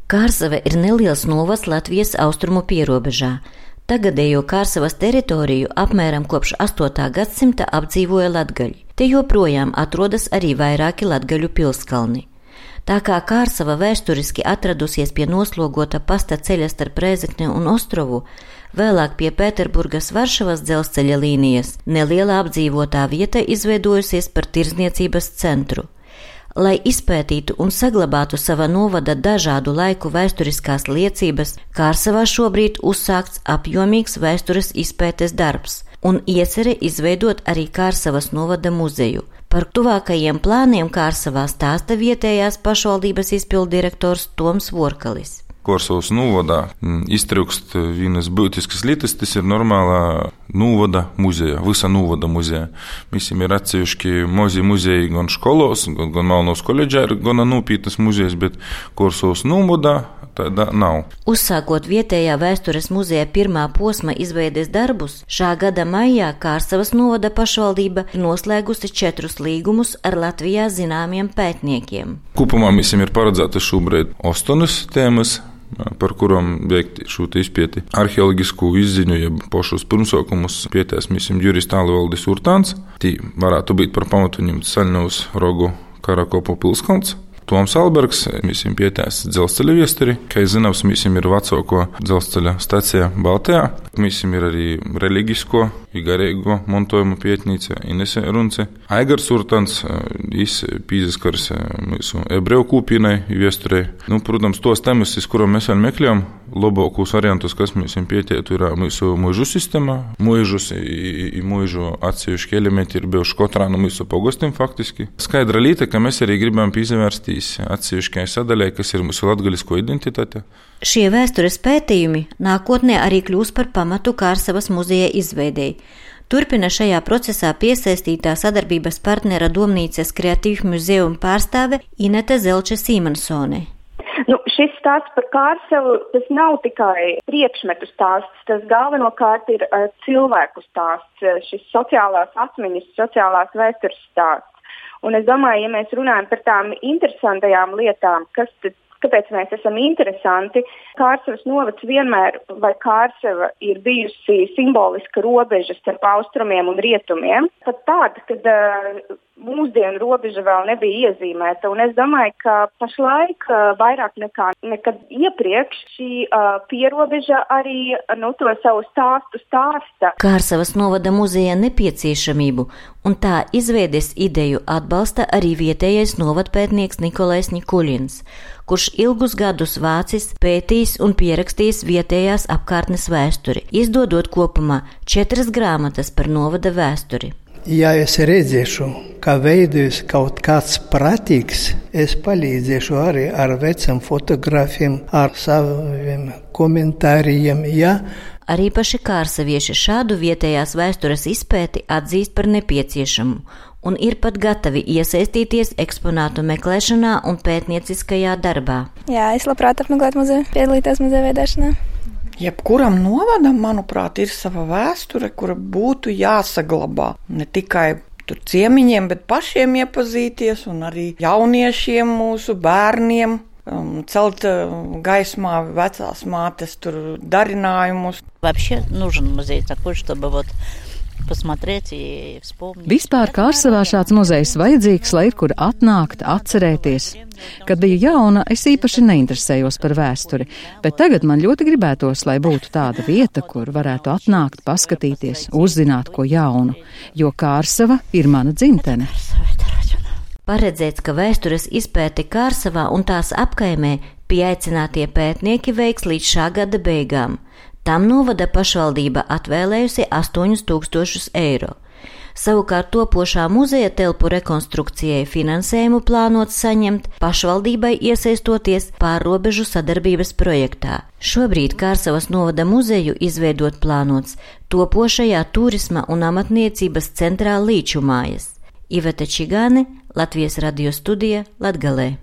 Kārsava ir neliels novads Latvijas austrumu pierobežā. Tagadējo Kārsavas teritoriju apmēram kopš 8. gadsimta apdzīvoja latgaļi. Te joprojām atrodas arī vairāki latgaļu pilskalni. Tā kā Kārsava vēsturiski atradusies pie noslogota pasta ceļa starp Rēzekni un Ostrovu, vēlāk pie Pēterburgas Varšavas dzelzceļa līnijas, neliela apdzīvotā vieta izveidojusies par tirdzniecības centru. Lai izpētītu un saglabātu sava novada dažādu laiku vēsturiskās liecības, Kārsavā šobrīd uzsākts apjomīgs vēstures izpētes darbs un iecerē izveidot arī Kārsavas novada muzeju. Par tuvākajiem plāniem Kārsavā stāsta vietējās pašvaldības izpilddirektors Toms Vorkalis. Kārsavas novadā iztrūkst vienas būtiskas lietas, tas ir normālā novada muzeja, visa novada muzeja. Mēs ir atsevišķi mazi muzeji gan školos, gan Malnovas koledžā ir gana nopietnas muzejas, bet Kārsavas novadā tāda nav. Uzsākot vietējā vēstures muzeja pirmā posma izveides darbus, šā gada maijā Kārsavas novada pašvaldība ir noslēgusi 4 līgumus ar Latvijā zināmiem pētniekiem. Kopumā mēs ir paredzēta šobrīd 8 tēmas, par kurām veikt šo izpēti. Arheoloģisku izziņu, jeb pašus pirmsākumus pietēs mēs jurists Alvaldis Urtāns. Tī varētu būt par pamatu ņemt Saļņavas Rogu Karakopu pilskalns. Toms Albergs, mēs pietēs dzelzceļa viesturi. Kā zināms, mēs ir vecāko dzelzceļa stacija Baltijā. Mēs ir arī reliģisko, garīgo montojumu pietnīca Inese Runce. Aigars Urtāns, viņš pīzaskars mūsu ebreju kūpīnai viesturei. Protams, tos temas, kurām mēs vēl meklējam, labākos variantus, kas mēs pietētu, ir mūsu mūžu sistēma. Mūžus i mūžu atsevišķi elementi ir bijuši katrā no mūsu pogostiem faktiski. Skaidra lieta, ka mēs arī gribam pīzavērstīt atsevišķai sadaļai, kas ir mūsu latgalisko identitāte. Šie vēstures pētījumi nākotnē arī kļūs par pamatu Kārsavas muzeja izveidei. Turpina šajā procesā piesaistītā sadarbības partnera Domnīcas Kreatīvu muzejumu pārstāve Inete Zelče-Sīmansone. Šis stāsts par Kārsavu, tas nav tikai priekšmetu stāsts, tas galvenokārt ir cilvēku stāsts, šis sociālās atmiņas, sociālās vēstures stāsts. Un es domāju, ja mēs runājam par tām interesantajām lietām, kāpēc mēs esam interesanti, Kārsavas novads vienmēr, vai Kārsava ir bijusi simboliska robeža starp austrumiem un rietumiem, pat tāda, kad mūsdienu robeža vēl nebija iezīmēta. Un es domāju, ka pašlaik vairāk nekā nekad iepriekš šī pierobeža arī to savu stāstu stāsta. Kārsavas novada muzeja nepieciešamību un tā izveides ideju atbalsta arī vietējais novadpētnieks Nikolais Nikuļins, kurš ilgus gadus vācis, pētījis un pierakstījis vietējās apkārtnes vēsturi, izdodot kopumā 4 grāmatas par novada vēsturi. Ja es redzēšu, ka veidojas kaut kāds prātīgs, es palīdzēšu arī ar vecam fotogrāfiem, ar saviem komentāriem, ja. Arī paši kārsavieši šādu vietējās vēstures izpēti atzīst par nepieciešamu un ir pat gatavi iesaistīties eksponātu meklēšanā un pētnieciskajā darbā. Jā, es labprāt apmeklētu muzeju, piedalīties muzeja veidēšanā. Jebkuram novadam, manuprāt, ir sava vēsture, kura būtu jāsaglabā. Ne tikai tur ciemiņiem, bet pašiem iepazīties un arī jauniešiem, mūsu bērniem, celt gaismā vecās mātes tur darinājumus. Вообще нужен музей такой, чтобы вот посмотреть и вспомнить. Vispār Kārsavā šāds muzejs vajadzīgs, lai ir kur atnākt, atcerēties. Kad biju jauna, es īpaši neinteresējos par vēsturi, bet tagad man ļoti gribētos, lai būtu tāda vieta, kur varētu atnākt, paskatīties, uzzināt ko jaunu, jo Kārsava ir mana dzimtene. Paredzēts, ka vēstures izpēti Kārsavā un tās apkaimē pieaicinātie pētnieki veiks līdz šā gada beigām. Tam novada pašvaldība atvēlējusi 8000 eiro. Savukārt topošā muzeja telpu rekonstrukcijai finansējumu plānots saņemt pašvaldībai iesaistoties pārrobežu sadarbības projektā. Šobrīd Kārsavas novada muzeju izveidot plānots topošajā turisma un amatniecības centrā Līču mājas. Iveta Čigāne, Latvijas radio studija, Latgalē.